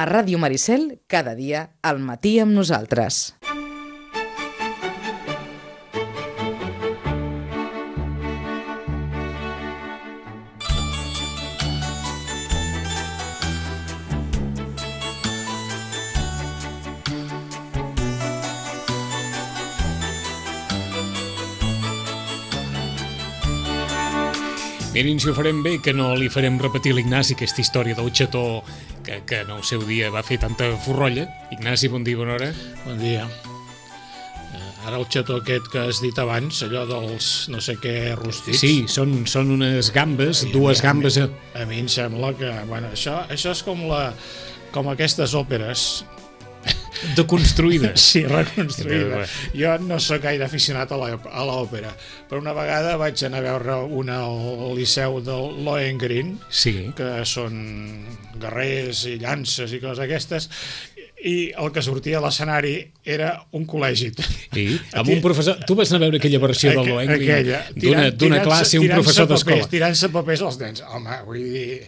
A Ràdio Maricel, cada dia, al matí amb nosaltres. Mirin si ho farem bé, que no li farem repetir a l'Ignasi aquesta història del xató que en el seu dia va fer tanta forrolla. Ignasi, bon dia, bona hora. Bon dia. Ara el xató aquest que has dit abans, allò dels no sé què rostits... Sí, són unes gambes, dues gambes... A mi em sembla que... Bueno, això és com aquestes òperes... Deconstruïdes. Sí, reconstruïdes. Jo no sóc gaire aficionat a l'òpera, però una vegada vaig anar a veure una al Liceu del Lohengrin, sí, que són guerrers i llances i coses aquestes, i el que sortia a l'escenari era un col·legi. Sí, amb un professor... Tu vas anar a veure aquella versió del Lohengrin d'una classe, un professor d'escola. Tirant-se papers als nens. Home, vull dir...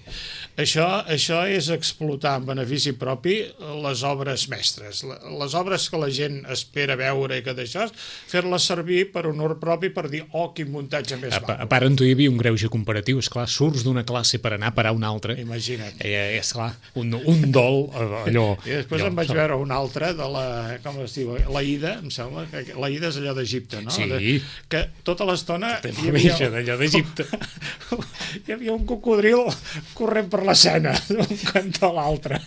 Això és explotar en benefici propi les obres mestres. Les obres que la gent espera veure i que d'això, fer-les servir per honor propi per dir, oh, quin muntatge més maco. A part, en tu hi havia un greuge comparatiu, esclar, surts d'una classe per anar a parar a una altra. Imagina't. Esclar, un dol, allò... I després em vaig veure una altra de la, com es diu, l'Aida, em sembla, que l'Aida és allò d'Egipte, no? Sí. Que tota l'estona... D'allò d'Egipte. Hi havia un cocodril corrent per l'escena d'un cantó a l'altre.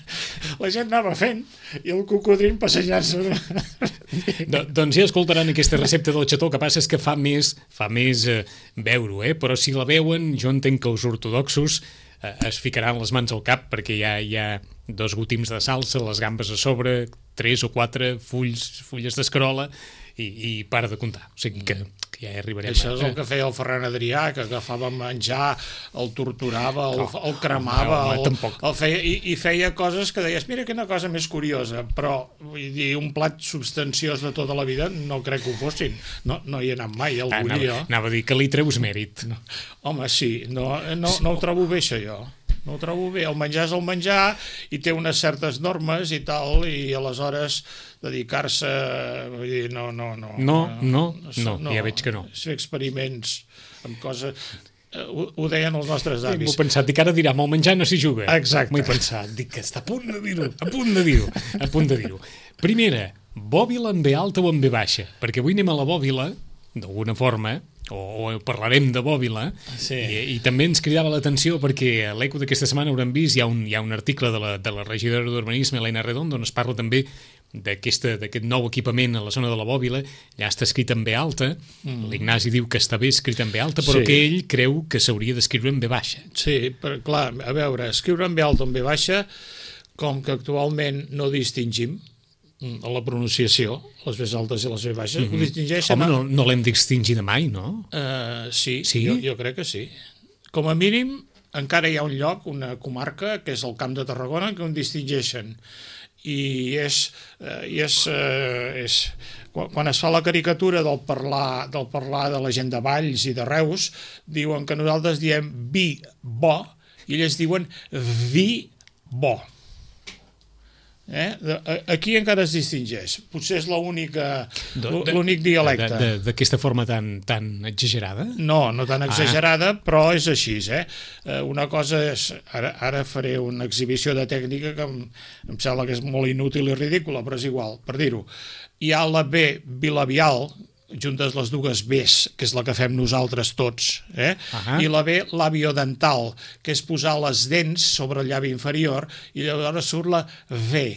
La gent anava fent i el cocodril passejant-se. Doncs ja escoltaran aquesta recepta del xató, que passa és que fa més veure-ho, però si la veuen, jo entenc que els ortodoxos es ficaran les mans al cap perquè hi ha 2 gotims de salsa, les gambes a sobre, 3 o 4 fulles d'escarola i para de comptar. O sigui que ja hi arribarem. Això és el que feia el Ferran Adrià, que agafava menjar, el torturava, el cremava, el feia, i feia coses que deies, mira quina cosa més curiosa, però vull dir, un plat substanciós de tota la vida no crec que ho fossin. No hi he anat mai, el volia. Anava a dir que li treus mèrit. No. Home, sí, no ho trobo bé, això, jo. No ho trobo bé. El menjar és el menjar i té unes certes normes i tal, i aleshores dedicar-se... Vull dir, no, ja veig que no. Fer experiments amb coses... Ho deien els nostres avis. M'ho he pensat, dic, ara dirà, amb el menjar no s'hi juga. Exacte. M'ho he pensat, dic que està a punt de dir-ho. Primera, bòbila en B alta o en B baixa? Perquè avui anem a la bòbila, d'alguna forma, o parlarem de bòbila, sí. I també ens cridava l'atenció perquè a l'Eco d'aquesta setmana haurem vist, hi ha un article de la regidora d'Urbanisme, Elena Redondo, on es parla també d'aquest nou equipament a la zona de la bòbila. Ja està escrit en B alta, l'Ignasi diu que està bé escrit en B alta, però que ell creu que s'hauria d'escriure en B baixa. Sí, però clar, a veure, escriure en B alta o en B baixa, com que actualment no distingim a la pronunciació, les B altes i les B baixes, ho distingeixen... Home, no l'hem d'extingir de mai, no? Sí, jo crec que sí. Com a mínim, encara hi ha un lloc, una comarca, que és el Camp de Tarragona, que ho distingeixen. I quan es fa la caricatura del parlar de la gent de Valls i de Reus, diuen que nosaltres diem vi bo i ells diuen vi bo. Aquí encara es distingeix. Potser és l'únic dialecte. D'aquesta forma tan exagerada? No tan exagerada, però és així. Una cosa és... Ara faré una exhibició de tècnica que em sembla que és molt inútil i ridícula, però és igual, per dir-ho. Hi ha la B bilabial, juntes les dues Bs, que és la que fem nosaltres tots, i la B labiodental, que és posar les dents sobre el llavi inferior, i llavors surt la V.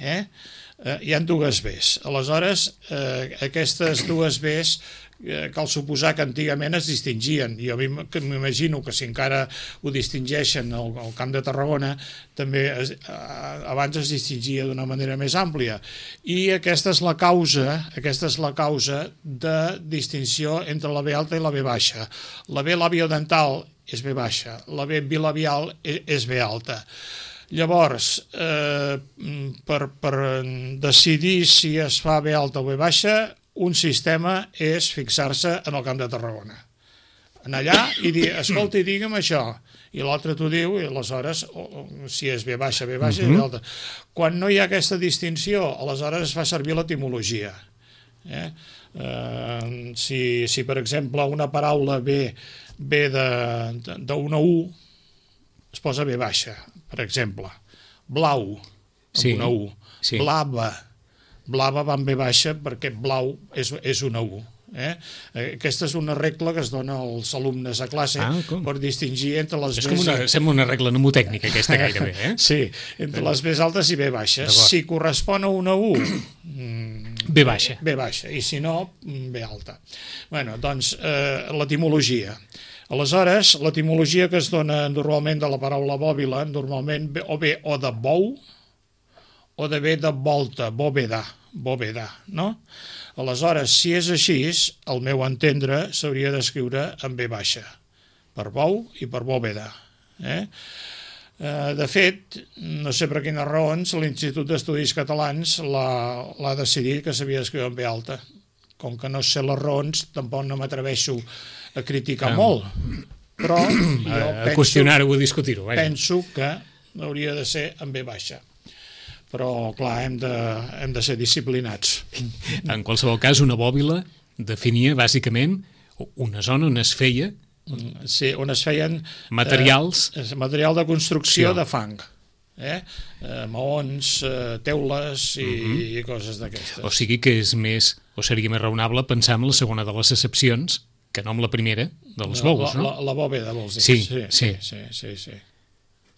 Hi ha dues Bs. Aleshores, aquestes dues Bs cal suposar que antigament es distingien. Jo m'imagino que si encara ho distingeixen al Camp de Tarragona, també abans es distingia d'una manera més àmplia. I aquesta és la causa de distinció entre la B alta i la B baixa. La B labiodental és B baixa, la B bilabial és B alta. Llavors, per decidir si es fa B alta o B baixa, un sistema és fixar-se en el Camp de Tarragona. Anar allà i dir, escolta, digue'm això. i l'altre t'ho diu, i aleshores, si és B baixa, B baixa, i l'altre. Quan no hi ha aquesta distinció, aleshores es fa servir l'etimologia. Si, per exemple, una paraula ve d'una U, es posa B baixa, per exemple. Blau, amb una U. Blava. Blava va amb B baixa perquè blau és una U. Aquesta és una regla que es dona als alumnes a classe per distingir entre les Bs... Sembla una regla mnemotècnica aquesta gairebé, Sí, entre les Bs altes i B baixes. Si correspon a una U, B baixa. B baixa, i si no, B alta. Bueno, doncs, l'etimologia. Aleshores, l'etimologia que es dona normalment de la paraula bòbila, normalment o bé o de bou, o de bé de volta, bòveda, no? Aleshores, si és així, al meu entendre, s'hauria d'escriure en B baixa, per bou i per bòveda. De fet, no sé per quines raons, l'Institut d'Estudis Catalans l'ha decidit que s'havia d'escriure en B alta. Com que no sé les raons, tampoc no m'atreveixo a criticar molt, però a qüestionar-ho o a discutir-ho. Penso que hauria de ser en B baixa. Però, clar, hem de ser disciplinats. En qualsevol cas, una bòbila definia, bàsicament, una zona on es feia... Sí, on es feien... Materials... Material de construcció de fang. Maons, teules i coses d'aquestes. O sigui que és més, o seria més raonable pensar en la segona de les accepcions que no en la primera dels bous, no? La bòveda, vols dir? Sí.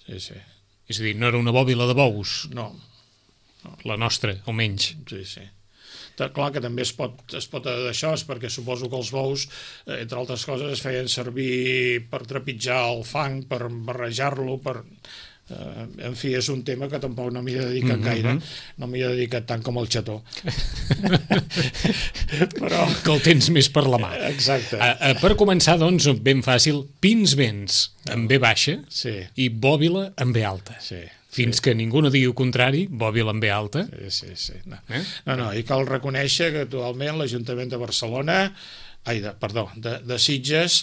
És a dir, no era una bòbila de bous? No. La nostra, almenys. Sí. Clar que també es pot d'això, perquè suposo que els bous, entre altres coses, es feien servir per trepitjar el fang, per barrejar-lo, en fi, és un tema que tampoc no m'hi he dedicat gaire, no m'hi he dedicat tant com el xató. Però... Que el tens més per la mà. Exacte. Per començar, doncs, ben fàcil, pins vents en B baixa i bòbila en B alta. Fins que ningú no digui el contrari, bòbila en B alta. Sí. No, i cal reconèixer que actualment l'Ajuntament de Barcelona, de Sitges,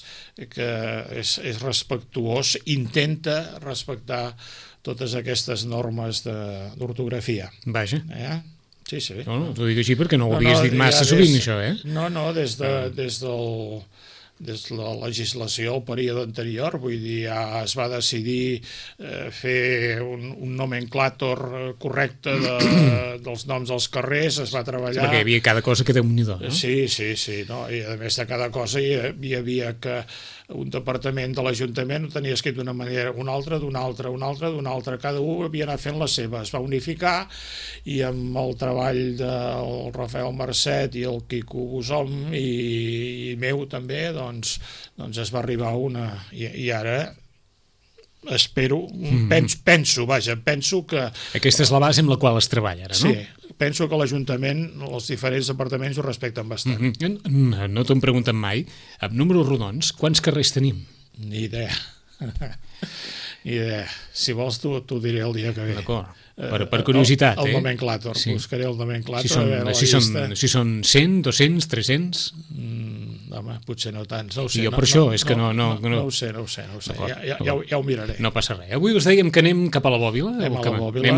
que és respectuós, intenta respectar totes aquestes normes d'ortografia. Vaja. Sí. No, t'ho dic així perquè no ho havies dit massa sovint, això, No, des de la legislació al període anterior, vull dir, ja es va decidir fer un nomenclàtor correcte dels noms dels carrers, es va treballar... Perquè hi havia cada cosa que Déu-n'hi-do, no? Sí, no? I a més de cada cosa hi havia que un departament de l'Ajuntament ho tenia escrit d'una manera, un altre, d'una altra, cada un havia anat fent la seva, es va unificar i amb el treball del Rafael Marcet i el Quico Busom i meu també, doncs es va arribar a una... I ara espero, penso que... Aquesta és la base amb la qual es treballa ara, no? Sí, penso que l'Ajuntament, els diferents departaments ho respecten bastant. No t'ho hem preguntat mai. Amb números rodons, quants carrers tenim? Ni idea. Si vols t'ho diré el dia que ve. D'acord. Per curiositat, el nomenclàtor, buscaré el nomenclàtor. Si són 100, 200, 300... Home, potser no tants, no ho sé. Jo per això, és que no... No ho sé, ja ho miraré. No passa res. Avui us dèiem que anem cap a la Bòbila. Anem a la Bòbila,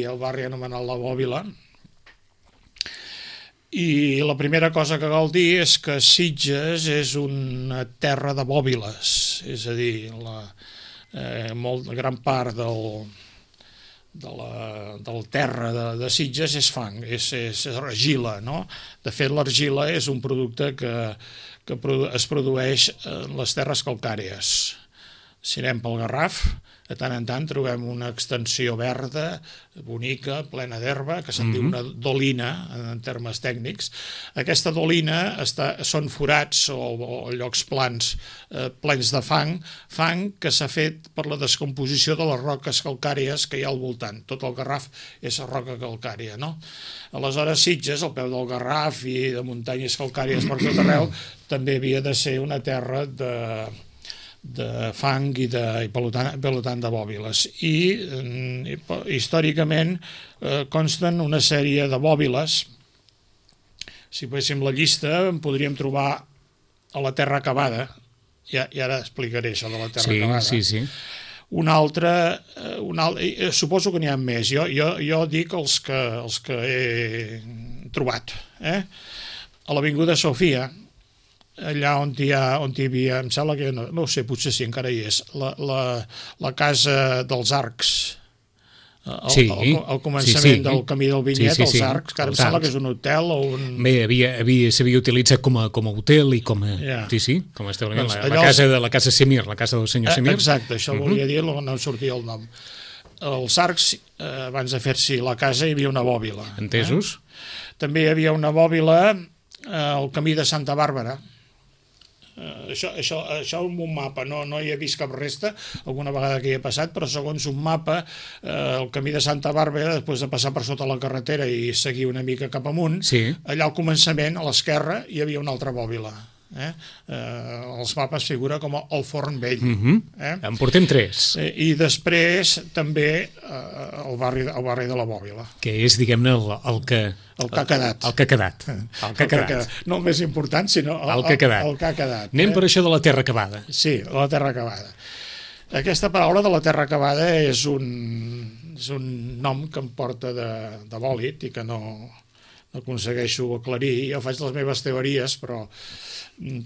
el barri anomenat la Bòbila. I la primera cosa que cal dir és que Sitges és una terra de bòbiles, és a dir, gran part del terra de Sitges és fang, és argila, no? De fet, l'argila és un producte que es produeix en les terres calcàries. Si anem pel Garraf, de tant en tant trobem una extensió verda, bonica, plena d'herba, que se'n diu una dolina, en termes tècnics. Aquesta dolina són forats o llocs plans plens de fang que s'ha fet per la descomposició de les roques calcàries que hi ha al voltant. Tot el Garraf és roca calcària, no? Aleshores, Sitges, al peu del Garraf i de muntanyes calcàries per tot arreu, també havia de ser una terra de fang i per tant de bòbiles. I històricament consten una sèrie de bòbiles. Si féssim la llista en podríem trobar a la terra acabada, I ara explicaré això de la terra cavada. Sí. Un altre, suposo que n'hi ha més. Jo dic els que he trobat. A l'Avinguda Sofia, allà on hi havia, em sembla que, no ho sé, potser sí, encara hi és, la casa dels arcs, al començament del camí del Vinyet, els arcs, que ara em sembla que és un hotel o un... Bé, s'havia utilitzat com a hotel i com a... com a establiment, la casa Semir, la casa del senyor Semir. Exacte, això volia dir, no em sortia el nom. Els arcs, abans de fer-s'hi la casa, hi havia una bòbila. Entesos. També hi havia una bòbila al camí de Santa Bàrbara. Això en un mapa, no hi he vist cap resta, alguna vegada que hi he passat, però segons un mapa, el camí de Santa Bàrbara, després de passar per sota la carretera i seguir una mica cap amunt, allà al començament, a l'esquerra, hi havia una altra bòbila. Els mapes figura com el Forn Vell. En portem 3. I després també el barri de la Bòbila, que és, diguem-ne, el que ha quedat. No el més important, sinó el que ha quedat. Anem per això de la terra cavada. Sí, la terra cavada. Aquesta paraula de la terra cavada és un nom que em porta de bòlit i que no aconsegueixo aclarir. Jo faig les meves teories, però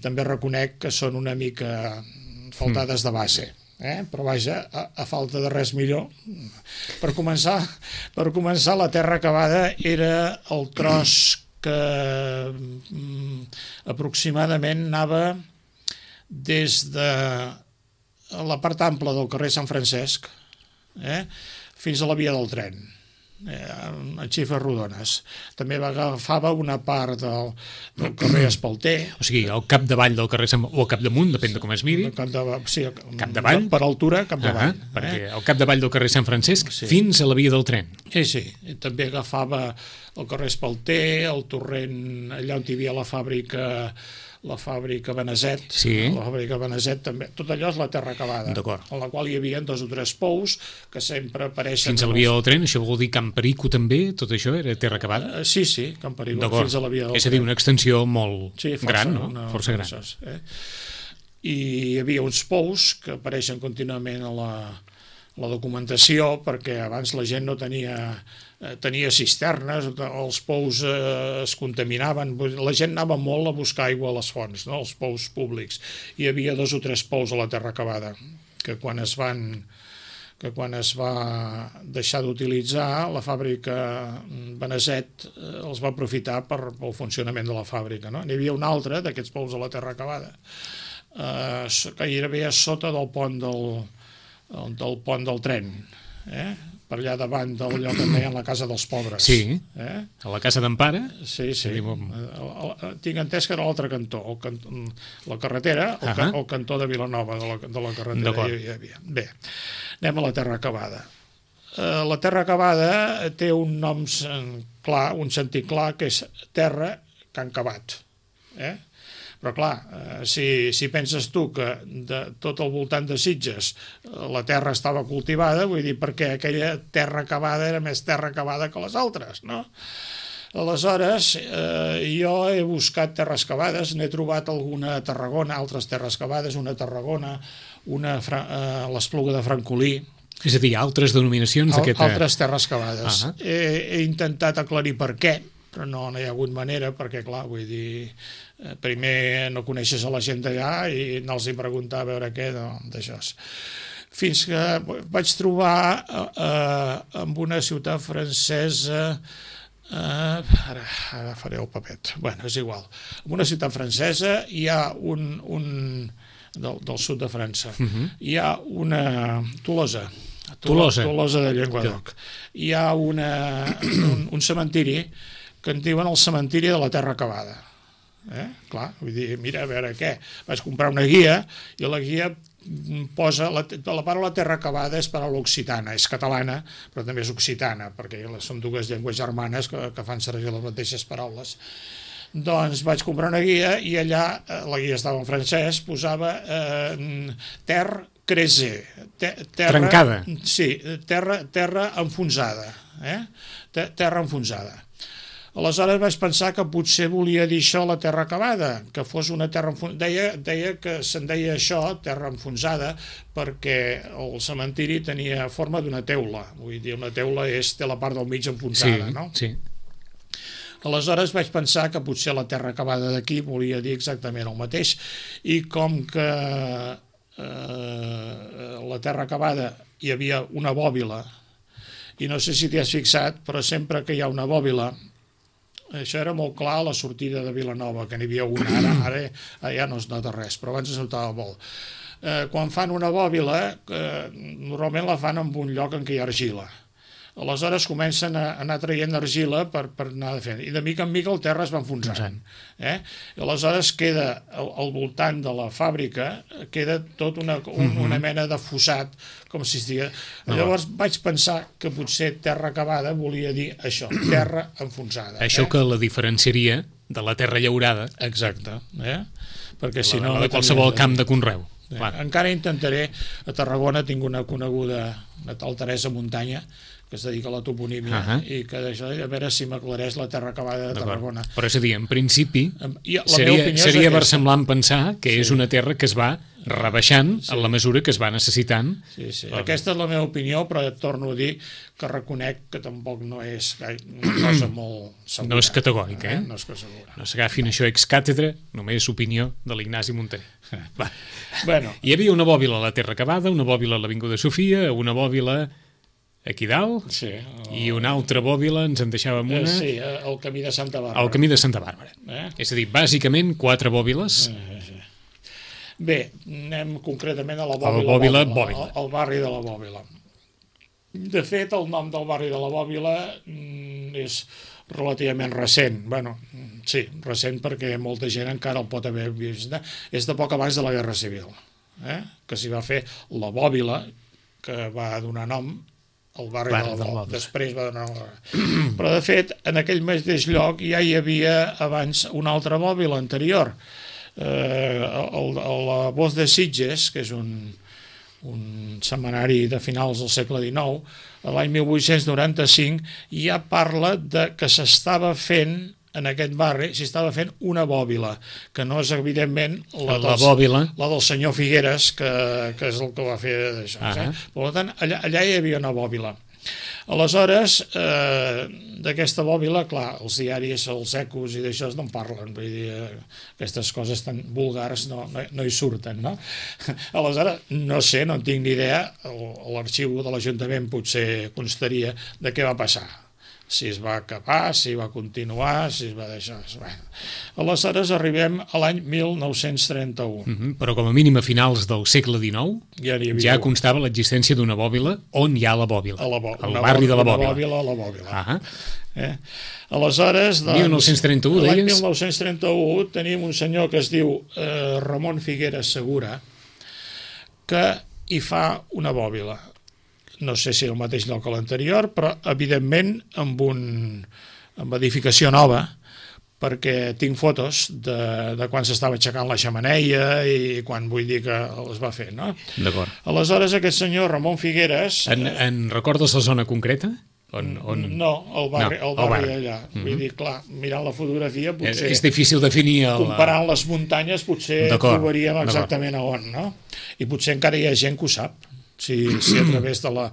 també reconec que són una mica faltades de base. Però vaja, a falta de res millor. Per començar, la terra cavada era el tros que aproximadament anava des de la part ampla del carrer Sant Francesc fins a la via del tren, a xifres rodones. També agafava una part del carrer Espalter. O sigui, al capdavall del carrer o al capdamunt, depèn de com es miri. Sí, capdavall. Per altura, capdavall. Perquè al capdavall del carrer Sant Francesc fins a la via del tren. Sí. També agafava el carrer Espalter, el torrent, allà on hi havia la fàbrica Beneset, la fàbrica Beneset també, tot allò és la terra cavada, en la qual hi havia 2 o 3 pous que sempre apareixen... Fins a la via del tren, això vol dir Camp Perico també, tot això era terra cavada? Sí, Camp Perico, fins a la via del tren. És a dir, una extensió molt gran, no? Força gran. I hi havia uns pous que apareixen contínuament a la documentació, perquè abans la gent no tenia cisternes, els pous es contaminaven, la gent anava molt a buscar aigua a les fonts, als pous públics. Hi havia 2 o 3 pous a la terra cavada, que quan es va deixar d'utilitzar, la fàbrica Beneset els va aprofitar pel funcionament de la fàbrica. N'hi havia un altre d'aquests pous a la terra cavada, que hi havia sota del pont del tren, per allà davant d'allò que en deien la Casa dels Pobres. Sí, a la Casa d'Empara. Sí. Tinc entès que era l'altre cantó, la carretera, el cantó de Vilanova, de la carretera hi havia. Bé, anem a la terra cavada. La terra cavada té un nom clar, un sentit clar, que és terra que han cavat. Però clar, si penses tu que de tot el voltant de Sitges la terra estava cultivada, vull dir, perquè aquella terra cavada era més terra cavada que les altres, no? Aleshores, jo he buscat terres cavades, n'he trobat alguna a Tarragona, altres terres cavades, una a Tarragona, una a l'Espluga de Francolí. És a dir, altres denominacions d'aquesta... Altres terres cavades. He intentat aclarir per què, però no hi ha hagut manera, perquè clar, vull dir, primer no coneixes a la gent d'allà i anar-los a preguntar a veure què d'això. Fins que vaig trobar en una ciutat francesa, ara faré el papet, bueno, és igual, en una ciutat francesa hi ha del sud de França, hi ha una Tolosa de Llenguadoc, hi ha un cementiri que en diuen el cementiri de la terra cavada. Clar, vull dir, mira, a veure què. Vaig comprar una guia i la guia posa... La paraula terra cavada és paraula occitana, és catalana, però també és occitana, perquè són 2 llengües germanes que fan servir les mateixes paraules. Doncs vaig comprar una guia i allà, la guia estava en francès, posava terre creuée. Trencada. Sí, terra enfonsada. Terra enfonsada. Aleshores vaig pensar que potser volia dir això la terra acabada, que fos una terra enfonsada. Deia que se'n deia això, terra enfonsada, perquè el cementiri tenia forma d'una teula. Vull dir, una teula té la part del mig enfonsada, no? Sí. Aleshores vaig pensar que potser la terra acabada d'aquí volia dir exactament el mateix, i com que la terra acabada hi havia una bòbila, i no sé si t'hi has fixat, però sempre que hi ha una bòbila, això era molt clar a la sortida de Vilanova, que n'hi havia una, ara ja no es nota res, però abans es notava molt. Quan fan una bòbila, normalment la fan en un lloc en què hi ha argila. Aleshores comencen a anar traient argila per anar fent, i de mica en mica el terra es va enfonsant. I aleshores queda al voltant de la fàbrica, queda tot una mena de fossat, com si estigués... Llavors vaig pensar que potser terra acabada volia dir això, terra enfonsada. Això que la diferenciaria de la terra llaurada. Exacte. Perquè si no... De qualsevol camp de conreu. Encara intentaré, a Tarragona tinc una coneguda, una tal Teresa Muntanya, que es dedica a la toponímia, i que a veure si m'aclareix la terra acabada de Tarragona. Però és a dir, en principi seria versemblant pensar que és una terra que es va rebaixant en la mesura que es va necessitant. Sí. Aquesta és la meva opinió, però torno a dir que reconec que tampoc no és una cosa molt segura. No és categòric, No és segura. No s'agafin això ex càtedra, només opinió de l'Ignasi Montaner. Bueno. Hi havia una bòbila a la Terra Acabada, una bòbila a l'Avinguda Sofia, una bòbila aquí dalt, i una altra bòbila, ens en deixàvem una... Sí, el camí de Santa Bàrbara. El camí de Santa Bàrbara. És a dir, bàsicament, 4 bòbiles. Bé, anem concretament a la bòbila. Al barri de la Bòbila. De fet, el nom del barri de la Bòbila és relativament recent. Bueno, sí, recent perquè molta gent encara el pot haver vist. És de poc abans de la Guerra Civil, que s'hi va fer la Bòbila, que va donar nom al barri de la Bòbila. Després va donar nom. Però, de fet, en aquell mateix lloc ja hi havia abans una altra bòbila anterior. La Voz de Sitges, que és un setmanari de finals del segle XIX, l'any 1895 ja parla que s'estava fent en aquest barri, s'estava fent una bòbila, que no és evidentment la del senyor Figueres, que és el que va fer d'això. Per tant, allà hi havia una bòbila. Aleshores, d'aquesta bòbila, clar, els diaris, els ecos i d'això no en parlen, vull dir, aquestes coses tan vulgars no hi surten, no? Aleshores, no sé, no en tinc ni idea, l'arxiu de l'Ajuntament potser constaria de què va passar, si es va acabar, si va continuar, si es va deixar... Aleshores arribem a l'any 1931. Però com a mínim a finals del segle XIX ja constava l'existència d'una bòbila on hi ha la bòbila, al barri de la Bòbila. Una bòbila a la Bòbila. Aleshores, doncs, 1931, l'any 1931 tenim un senyor que es diu Ramon Figueres Segura, que hi fa una bòbila. No sé si el mateix lloc que l'anterior, però evidentment amb edificació nova, perquè tinc fotos de quan s'estava aixecant la xemeneia i quan vull dir que es va fer, no? D'acord. Aleshores aquest senyor Ramon Figueres... En recordes la zona concreta? No, el barri d'allà. Vull dir, clar, mirant la fotografia potser... És difícil definir... Comparant les muntanyes potser trobaríem exactament a on, no? I potser encara hi ha gent que ho sap. Si a través de la...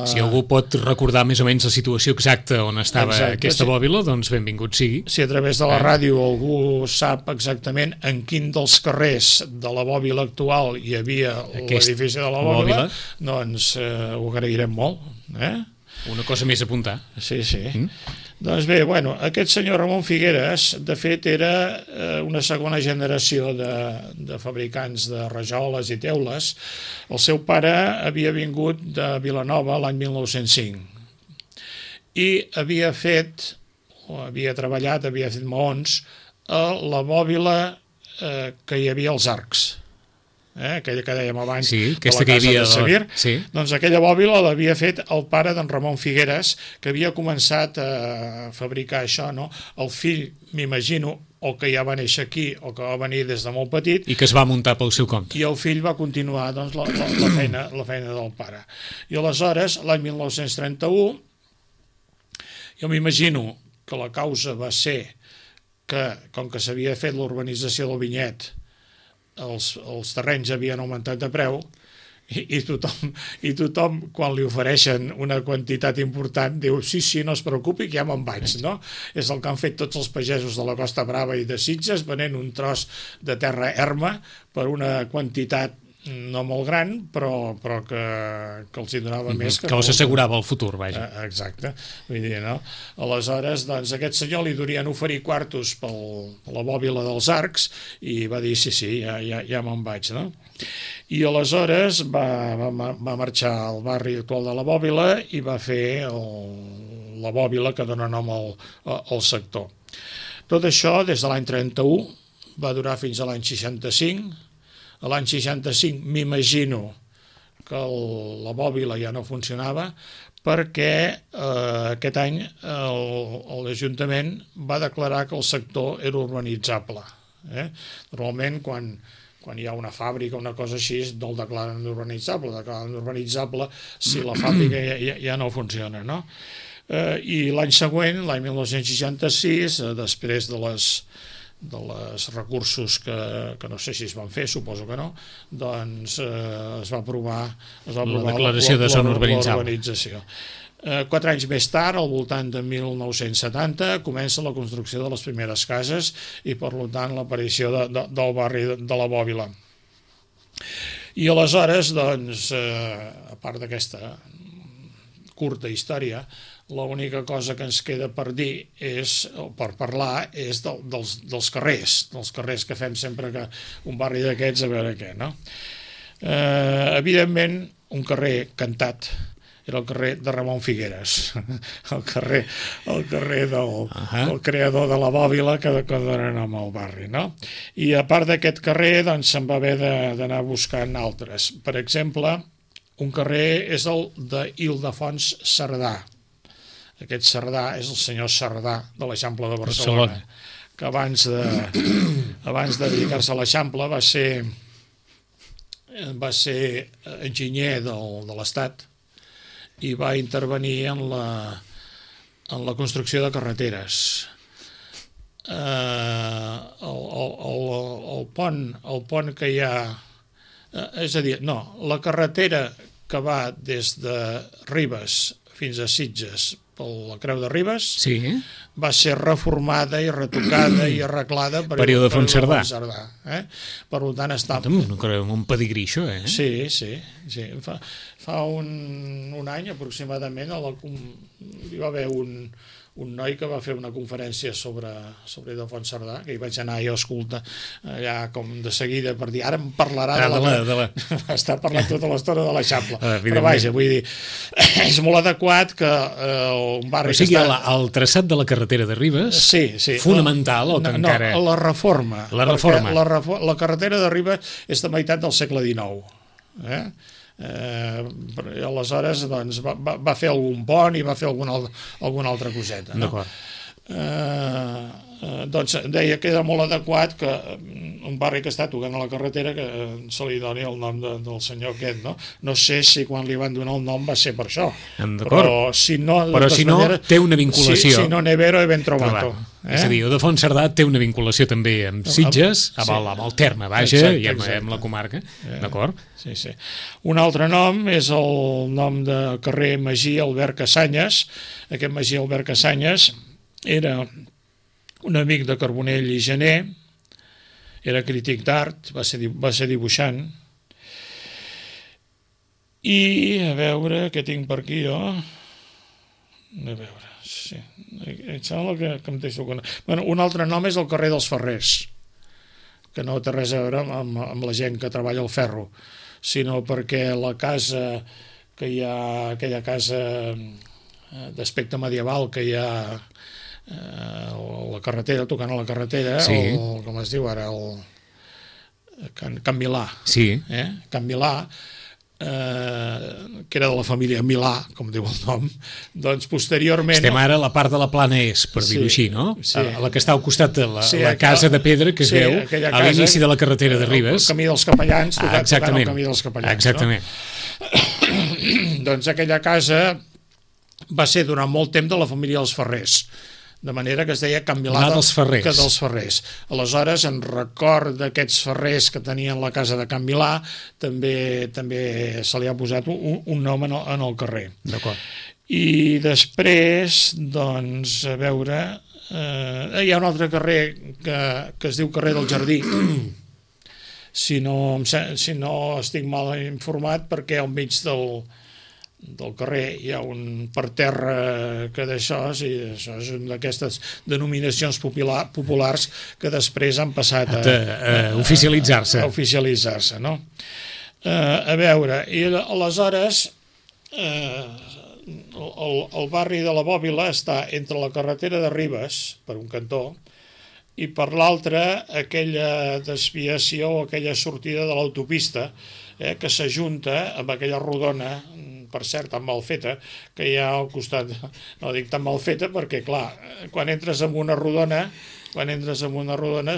Si algú pot recordar més o menys la situació exacta on estava aquesta bòbila, doncs benvingut sigui. Si a través de la ràdio algú sap exactament en quin dels carrers de la bòbila actual hi havia l'edifici de la bòbila, doncs ho agrairem molt. Una cosa més a apuntar. Sí. Doncs bé, aquest senyor Ramon Figueres, de fet, era una segona generació de fabricants de rajoles i teules. El seu pare havia vingut de Vilanova l'any 1905 i havia treballat, havia fet maons a la bòbila que hi havia als arcs. Aquella que dèiem abans de la casa de Sabir, doncs aquella bòbila l'havia fet el pare d'en Ramon Figueres, que havia començat a fabricar això, no? El fill, m'imagino, o que ja va néixer aquí o que va venir des de molt petit, i que es va muntar pel seu compte, i el fill va continuar doncs, la feina del pare. I aleshores, l'any 1931, jo m'imagino que la causa va ser que, com que s'havia fet l'urbanització del Vinyet, els terrenys havien augmentat de preu, i tothom, quan li ofereixen una quantitat important, diu, sí, no es preocupi, que ja me'n vaig, no? És el que han fet tots els pagesos de la Costa Brava i de Sitges, venent un tros de terra erma per una quantitat no molt gran, però que els hi donava més. Que els assegurava el futur, vaja. Exacte. Vull dir, no? Aleshores, doncs, aquest senyor li durien oferir quartos per la bòbila dels Arcs i va dir, sí, ja me'n vaig, no? I aleshores va marxar al barri actual de la Bòbila i va fer la Bòbila que dona nom al sector. Tot això, des de l'any 31, va durar fins a l'any 65. A l'any 65 m'imagino que la Bòbila ja no funcionava perquè aquest any l'Ajuntament va declarar que el sector era urbanitzable. Normalment, quan hi ha una fàbrica o una cosa així, no el declaren urbanitzable si la fàbrica ja no funciona, no? I l'any següent, l'any 1966, després de les recursos que no sé si es van fer, suposo que no, doncs es va aprovar la declaració de zona urbanitzable. L'urbanització. 4 anys més tard, al voltant de 1970, comença la construcció de les primeres cases i, per tant, l'aparició del barri de la Bòbila. I aleshores, doncs, a part d'aquesta curta història, l'única cosa que ens queda per dir per parlar és dels carrers que fem sempre que un barri d'aquests, a veure què, no? Evidentment, un carrer cantat era el carrer de Ramon Figueres, el carrer del creador de la Bòbila que dona nom al barri, no? I a part d'aquest carrer, doncs, se'n va haver d'anar buscant altres. Per exemple, un carrer és el d'Ildefons Cerdà. Aquest Cerdà és el senyor Cerdà de l'Eixample de Barcelona, que abans de dedicar-se a l'Eixample va ser enginyer de l'Estat i va intervenir en la construcció de carreteres. El pont que hi ha... És a dir, no, la carretera que va des de Ribes fins a Sitges per la Creu de Ribes va ser reformada i retocada i arreglada per Ildefons Cerdà. Per tant, està... Un pedigrí, això, eh? Sí. Fa un any, aproximadament, hi va haver un noi que va fer una conferència sobre Ildefons Cerdà, que hi vaig anar jo a escoltar allà com de seguida per dir, ara em parlarà de la... Està parlant tota l'estona de l'Eixample. Però vaja, vull dir, és molt adequat que un barri... O sigui, el traçat de la carretera de Ribes, fonamental, o que encara... No, la reforma. La carretera de Ribes és de meitat del segle XIX, aleshores doncs, va fer algun pont i va fer alguna altra coseta, no? D'acord. Doncs deia que era molt adequat que un barri que està tocant a la carretera que se li doni el nom del senyor aquest, no? No sé si quan li van donar el nom va ser per això, però si no té una vinculació. Si no, Nevero e ben trovato. És a dir, Ildefons Cerdà té una vinculació també amb Sitges, amb el terme, vaja, i amb la comarca, d'acord? Sí. Un altre nom és el nom de carrer Magí Albert Cassanyes. Aquest Magí Albert Cassanyes era un amic de Carbonell i Gené, era crític d'art, va ser dibuixant, i a veure què tinc per aquí jo, a veure, sí, em sembla que em deixo... Bueno, un altre nom és el carrer dels Ferrers, que no té res a veure amb la gent que treballa al ferro, sinó perquè la casa que hi ha, aquella casa d'aspecte medieval que hi ha la carretera, tocant a la carretera, com es diu ara, Can Milà. Can Milà, que era de la família Milà, com diu el nom, doncs posteriorment... Estem ara a la part de la Plana Est, per dir-ho així, no? La que està al costat de la casa de pedra que es veu a l'inici de la carretera de Ribes. El camí dels Capellans, tocant el camí dels Capellans. Exactament. Doncs aquella casa va ser durant molt temps de la família dels Ferrers, de manera que es deia Can Milà dels Ferrers. que dels Ferrers. Aleshores, en record d'aquests ferrers que tenien la casa de Can Milà, també se li ha posat un nom en el carrer. D'acord. I després, doncs, a veure, hi ha un altre carrer que es diu carrer del Jardí, si no estic mal informat, perquè al mig del carrer hi ha un parterre que d'això, això és una d'aquestes denominacions populars que després han passat a oficialitzar-se. A oficialitzar-se, no? A veure, i aleshores el barri de la Bòbila està entre la carretera de Ribes, per un cantó, i per l'altre aquella desviació, aquella sortida de l'autopista, que s'ajunta amb aquella rodona, per cert, tan mal feta, que hi ha al costat. No dic tan mal feta perquè, clar, quan entres en una rodona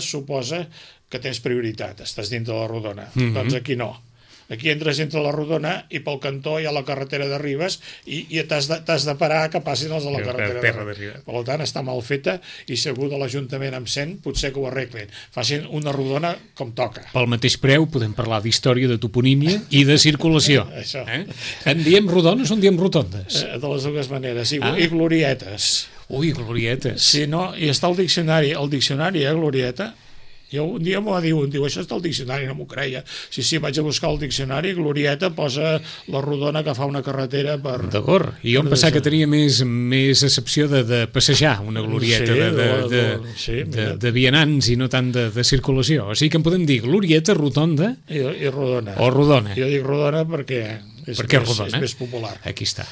suposa que tens prioritat, estàs dintre la rodona. Doncs aquí no. Aquí entres entre la rodona i pel cantó hi ha la carretera de Ribes i t'has de parar que passin els de la carretera de Ribes. Per tant, està mal feta i segur de l'Ajuntament amb 100 potser que ho arreglin. Facin una rodona com toca. Pel mateix preu podem parlar d'història, de toponímia i de circulació. Això. En diem rodones o en diem rotondes? De les dues maneres. I glorietes. Ui, glorietes. Sí, no? I està el diccionari, glorieta. Jo un dia m'ho va dir, diu, això està al diccionari, no m'ho creia. Sí, vaig a buscar el diccionari, glorieta posa la rodona que fa una carretera per... D'acord, i jo em pensava que tenia més accepció de passejar, una glorieta de vianants i no tant de circulació. O sigui que en podem dir glorieta, rotonda... I rodona. O rodona. Jo dic rodona perquè... és més popular. Aquí està.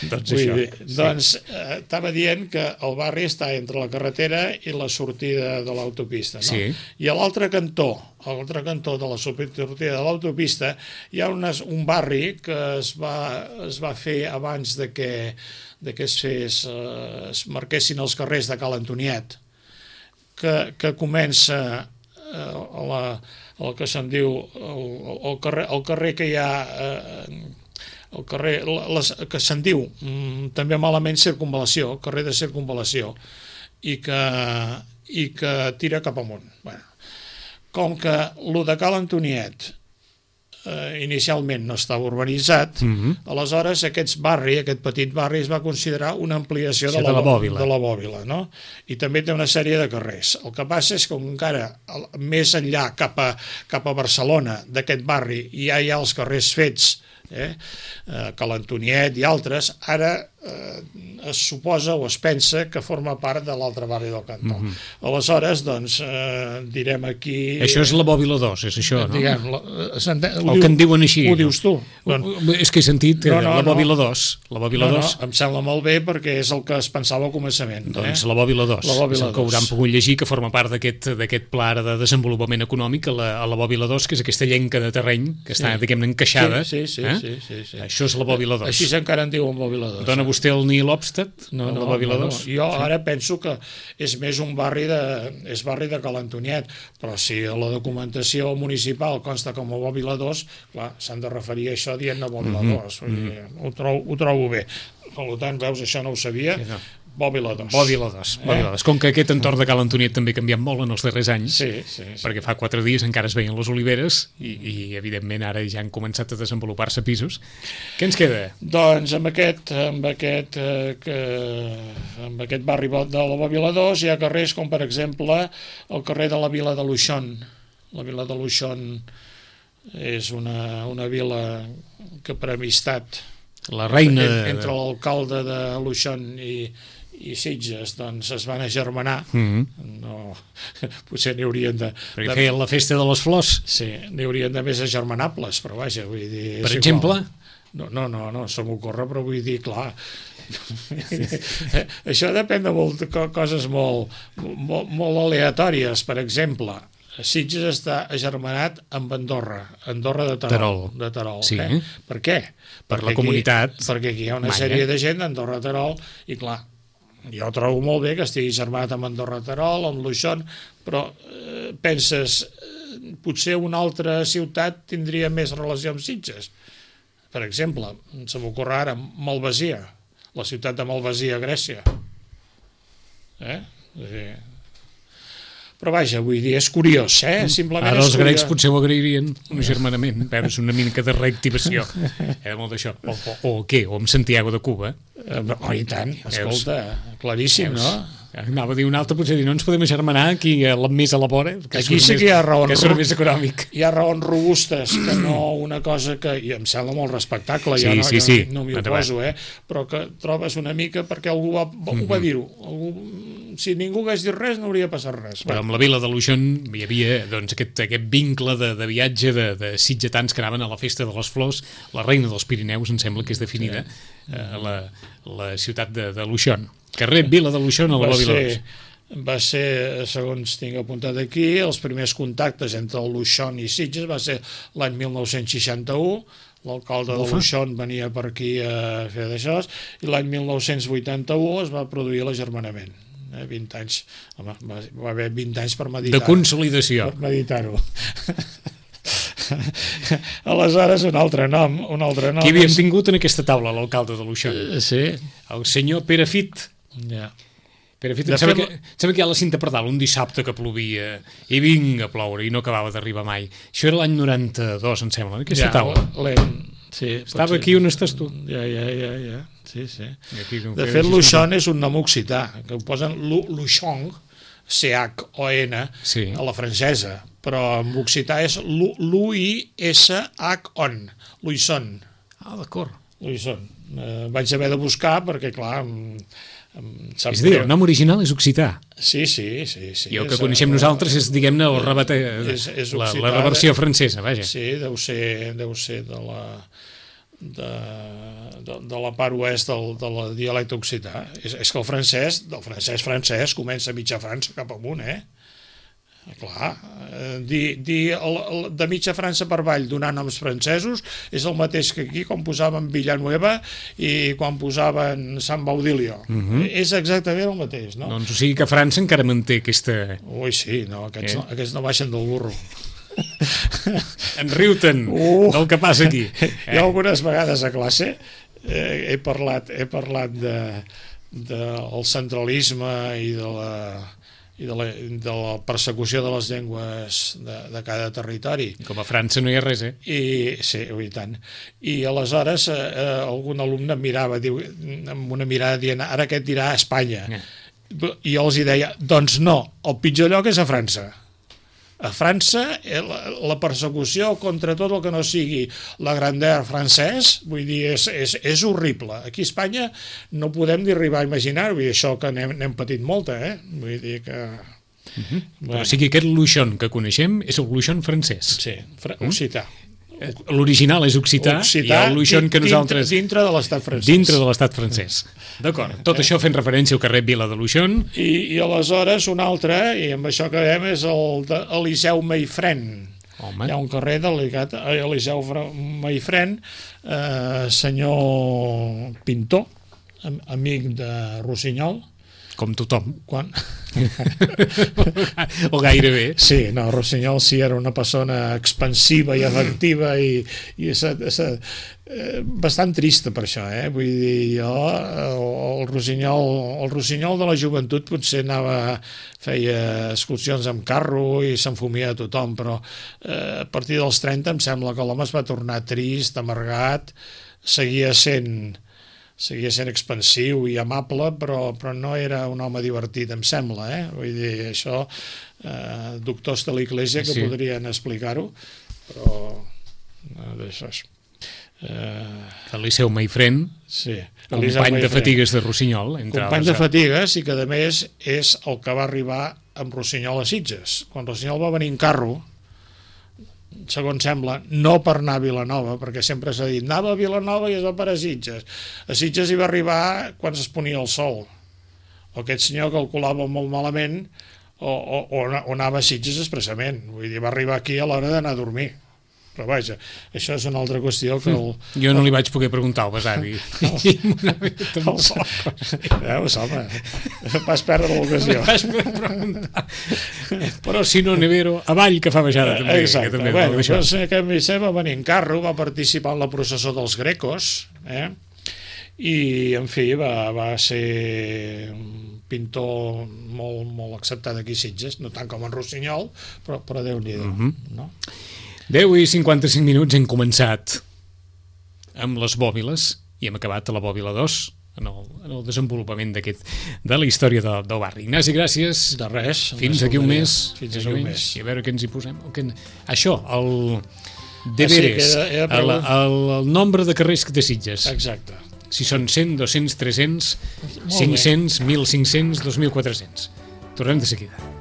Doncs estava dient que el barri està entre la carretera i la sortida de l'autopista. No? Sí. I a l'altre cantó de la sortida de l'autopista hi ha un barri que es va fer abans de que es marquessin els carrers de Cal Antoniet, que comença el que se'n diu el carrer que hi ha el carrer que se'n diu també malament circunvalació, el carrer de circunvalació, i que tira cap amunt. Com que el de Cal Antoniet inicialment no estava urbanitzat, aleshores aquest petit barri es va considerar una ampliació de la Bòbila, no? I també té una sèrie de carrers. El que passa és que encara més enllà cap a Barcelona d'aquest barri ja hi ha els carrers fets, Cal Antoniet i altres, ara es suposa o es pensa que forma part de l'altre barri del cantó. Aleshores, doncs, direm aquí... Això és la Bòbila 2, és això, no? El que en diuen així. Ho dius tu. És que he sentit la Bòbila 2. Em sembla molt bé perquè és el que es pensava al començament. Doncs la Bòbila 2. És el que hauran pogut llegir, que forma part d'aquest pla de desenvolupament econòmic a la Bòbila 2, que és aquesta llenca de terreny que està, diguem-ne, encaixada. Sí. Això és la Bòbila 2. Així encara en diuen Bòbila 2. Dona vostè el Neil Obsted? No, la Bòbila 2. Jo ara penso que és més un barri de Cal Antoniet, però si a la documentació municipal consta com a Bòbila 2, clar, s'han de referir a això dient-ne Bòbila 2. Ho trobo bé. Per tant, veus, això no ho sabia. Bòbila 2. Bòbila 2. Com que aquest entorn de Cal Antoniet també ha canviat molt en els darrers anys, perquè fa 4 dies encara es veien les oliveres i evidentment ara ja han començat a desenvolupar-se pisos. Què ens queda? Doncs amb aquest barri de la Bòbila 2 hi ha carrers com, per exemple, el carrer de la Vila de Luixón. La Vila de Luixón és una vila que per amistat la reina entre l'alcalde de Luixón i Sitges, doncs es van agermanar. Potser n'hi haurien de... Perquè feien la festa de les flors. Sí, n'hi haurien de més agermanables, però vaja, vull dir... Per exemple? No, se m'ocorre, però vull dir, clar... Això depèn de coses molt aleatòries. Per exemple, Sitges està agermanat amb Andorra de Terol. Sí. Per què? Per la comunitat. Perquè aquí hi ha una sèrie de gent d'Andorra de Terol i clar, jo trobo molt bé que estigui germanat amb Andorra de Terol, amb Luixón, però penses, potser una altra ciutat tindria més relació amb Sitges. Per exemple, se m'ocorre ara Malvasia, la ciutat de Malvasia, a Grècia. Però vaja, vull dir, és curiós, simplement ara els és grecs curiós. potser ho agrairien, un agermanament, veure, és una mica de reactivació, molt d'això, o què, o amb Santiago de Cuba. I tant, escolta, claríssim, no? Anava a dir un altre, potser dir, no ens podem agermanar aquí més a la vora, aquí sí que hi ha raons, que surt més econòmic. Hi ha raons robustes, que no una cosa que, i em sembla molt respectable, sí, jo no m'hi oposo, però que trobes una mica perquè algú va dir-ho. Si ningú hagués dit res, no hauria passat res. Però amb la vila de Luixón hi havia doncs, aquest vincle de viatge de sitgetans que anaven a la festa de les flors, la reina dels Pirineus, em sembla que és definida, la ciutat de Luixón. Carrer Vila de Luixón a la Vila de Luixón. Va ser, segons tinc apuntat aquí, els primers contactes entre el Luixón i Sitges va ser l'any 1961, l'alcalde de Luixón venia per aquí a fer d'això, i l'any 1981 es va produir l'agermanament. 20 anys, home, va haver 20 anys per meditar. De consolidació. Per meditar-ho. Aleshores, un altre nom. Qui havíem tingut en aquesta taula, l'alcalde de Luixón? Sí. El senyor Pere Fit. Ja. Pere Fit, em sembla que hi ha la cinta per dalt, un dissabte que plovia i vinga a ploure i no acabava d'arribar mai. Això era l'any 92, em sembla, en aquesta taula. Sí, estava aquí on estàs tu. Ja. Sí. De fet, Luixón és un nom occità, que ho posen Luixón, C-H-O-N, a la francesa, però en occità és L-U-I-S-H-O-N, Luixón. Ah, d'acord. Luixón. Vaig haver de buscar perquè, clar... És a dir, el nom original és occità. Sí. I el que coneixem nosaltres és, diguem-ne, la reversió francesa, vaja. Sí, deu ser de la part oest del dialecte occità. És que el francès, del francès comença a mitja França cap amunt, Clar, dir de mitja França per avall donar noms francesos és el mateix que aquí quan posaven Villanueva i quan posaven Sant Baudilio. És exactament el mateix, no? Doncs o sigui que França encara manté aquesta... Ui, sí, no, aquests no baixen del burro. En riu-te'n del que passa aquí. Jo algunes vegades a classe he parlat del centralisme i de la persecució de les llengües de cada territori. Com a França no hi ha res, Sí, i tant. I aleshores algun alumne em mirava amb una mirada dient, ara què et dirà Espanya? I jo els deia, doncs no, el pitjor lloc és a França. A França, la persecució contra tot el que no sigui la grandeur francès, vull dir, és horrible. Aquí a Espanya no podem ni arribar a imaginar-ho, i això que n'hem patit molta, Vull dir que... Però o sigui, aquest Luixón que coneixem és el Luixón francès. Sí, occità. L'original és occità i el Luixón que nosaltres... Dintre de l'estat francès. Dintre de l'estat francès. D'acord. Tot això fent referència al carrer Vila de Luixón. I aleshores un altre, i amb això acabem, és el d'Eliseu Meifrèn. Hi ha un carrer dedicat a Eliseu Meifrèn, senyor pintor, amic de Rossinyol. Com tothom. O gairebé. Sí, no, Rossinyol sí era una persona expansiva i efectiva i bastant trista per això, Vull dir, jo, el Rossinyol de la joventut potser feia excursions amb carro i s'enfumia a tothom, però a partir dels 30 em sembla que l'home es va tornar trist, amargat, seguia sent expansiu i amable, però no era un home divertit, em sembla, Vull dir, això, doctors de l'Església que podrien explicar-ho, però d'això és... Eliseu Meifrèn, company de fatigues de Rossinyol, company de fatigues, i que a més és el que va arribar amb Rossinyol a Sitges. Quan Rossinyol va venir en carro, segons sembla, no per anar a Vilanova, perquè sempre s'ha dit, anava a Vilanova i es va per a Sitges. A Sitges hi va arribar quan es ponia el sol. O aquest senyor calculava molt malament o anava a Sitges expressament. Vull dir, va arribar aquí a l'hora d'anar a dormir. Però vaja, això és una altra qüestió que... Jo no li vaig poder preguntar al besavi. Veus, home, vas perdre l'ocasió. Vas poder preguntar. Però si no, Nevero, avall que fa baixada també. Exacte, bueno, doncs aquest Vicent va venir en carro, va participar en la processó dels Grecos, i, en fi, va ser un pintor molt acceptat aquí a Sitges, no tant com en Rossinyol, però Déu-n'hi-do, no? 10 i 55 minuts hem començat amb les bòbiles i hem acabat a la bòbila 2 en el desenvolupament de la història del barri. Ignasi, gràcies. De res. Fins aquí un mes. Fins aquí un mes. I a veure què ens hi posem. Això, el deberes, el nombre de carrers que té Sitges. Exacte. Si són 100, 200, 300, 500, 1.500, 2.400. Tornem de seguida.